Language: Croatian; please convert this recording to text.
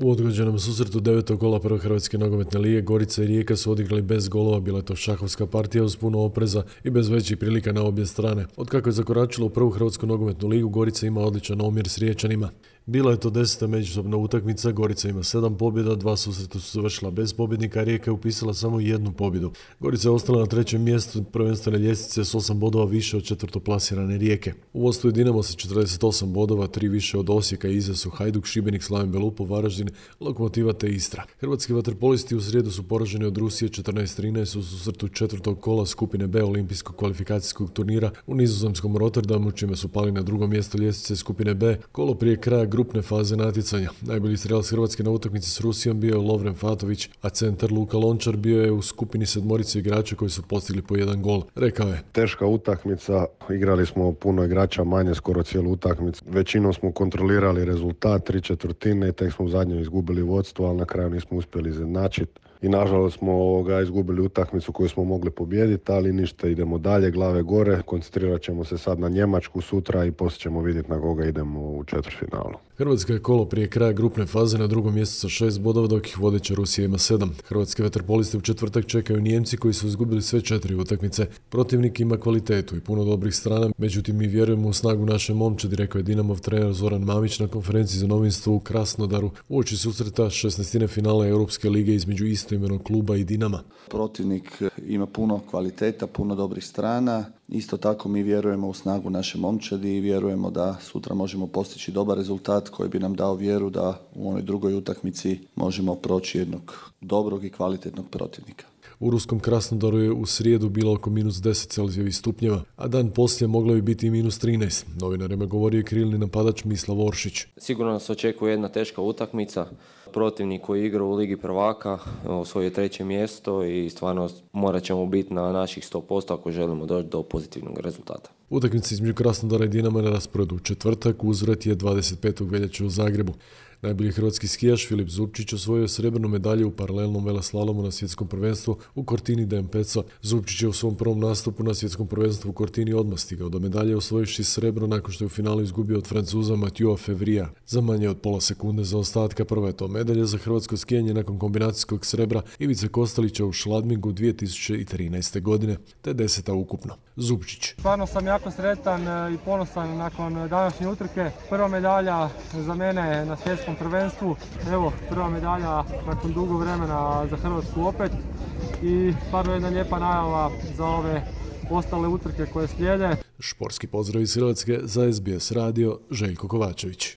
U odgođenom susretu 9. kola prve Hrvatske nogometne lige Gorica i Rijeka su odigrali bez golova, bila je to šahovska partija uz puno opreza i bez većih prilika na obje strane. Od kako je zakoračilo u prvu Hrvatsku nogometnu ligu, Gorica ima odličan omjer s Riječanima. Bila je to 10. međusobna utakmica, Gorica ima 7 pobjeda, 2 susreta su završila bez pobjednika, a Rijeka je upisala samo 1 pobjedu. Gorica je ostala na 3. mjestu prvenstvene ljestvice s 8 bodova više od četvrtoplasirane Rijeke. U vodstvu je Dinamo sa 48 bodova, 3 više od Osijeka, iza su Hajduk, Šibenik, Slaven Belupo, Varaždin, Lokomotiva te Istra. Hrvatski vaterpolisti u srijedu su poraženi od Rusije 14-13 u susretu 4. kola skupine B olimpijskog kvalifikacijskog turnira u nizozemskom Rotterdamu, čime su pali na 2. mjesto ljestvice skupine B, kolo prije kraja grupne faze natjecanja. Najbolji strelac Hrvatske na utakmici s Rusijom bio je Lovren Fatović, a centar Luka Lončar bio je u skupini 7 igrača koji su postigli po 1 gol. Rekao je: teška utakmica, igrali smo puno igrača manje skoro cijelu utakmicu. Većinom smo kontrolirali rezultat, 3/4 i tek smo u zadnjoj izgubili vodstvo, ali na kraju nismo uspjeli izjednačiti. I nažalost smo izgubili utakmicu koju smo mogli pobijediti, ali ništa, idemo dalje, glave gore, koncentrirat ćemo se sad na Njemačku sutra i poslije ćemo vidjeti na koga idemo u četvrtfinalu. Hrvatska je kolo prije kraja grupne faze na 2. mjestu sa 6 bodova, dok ih vodeća Rusija ima 7. Hrvatske vaterpoliste u četvrtak čekaju Nijemci koji su izgubili sve 4 utakmice. Protivnik ima kvalitetu i puno dobrih strana, međutim mi vjerujemo u snagu naše momčadi, rekao je Dinamov trener Zoran Mamić na konferenciji za novinstvo u Krasnodaru uoči susreta 16. finala Europske lige između istoimenog kluba i Dinama. Protivnik ima puno kvaliteta, puno dobrih strana. Isto tako mi vjerujemo u snagu naše momčadi i vjerujemo da sutra možemo postići dobar rezultat koji bi nam dao vjeru da u onoj drugoj utakmici možemo proći jednog dobrog i kvalitetnog protivnika. U ruskom Krasnodaru je u srijedu bilo oko -10 Celzijevih stupnjeva, a dan poslije moglo bi biti i -13. Novinarima govorio je krilni napadač Mislav Oršić. Sigurno nas očekuje jedna teška utakmica. Protivnik koji igra u Ligi prvaka osvojio 3. mjesto i stvarno morat ćemo biti na naših 100% ako želimo doći do pozitivnog rezultata. Utakmica između Krasnodara i Dinama na rasporedu u četvrtak, uzvrat je 25. veljače u Zagrebu. Najbolji hrvatski skijaš Filip Zupčić osvojio srebrnu medalju u paralelnom veleslalomu na svjetskom prvenstvu u Cortini d'Ampezzo. Zupčić je u svom prvom nastupu na svjetskom prvenstvu u Cortini odmah stigao do medalje, osvojivši srebro nakon što je u finalu izgubio od Francuza Mathieu Fevrija za manje od pola sekunde zaostatka. Prva je to medalja za hrvatsko skijanje nakon kombinacijskog srebra Ivice Kostelića u Schladmingu 2013. godine, te 10. ukupno. Zupčić: stvarno sam jako sretan i ponosan nakon današnje utrke. Prva medalja za mene na svjetskom prvenstvu. Evo, prva medalja nakon dugo vremena za Hrvatsku opet i stvarno jedna lijepa najava za ove ostale utrke koje slijede. Športski pozdrav iz Hrvatske za SBS radio, Željko Kovačević.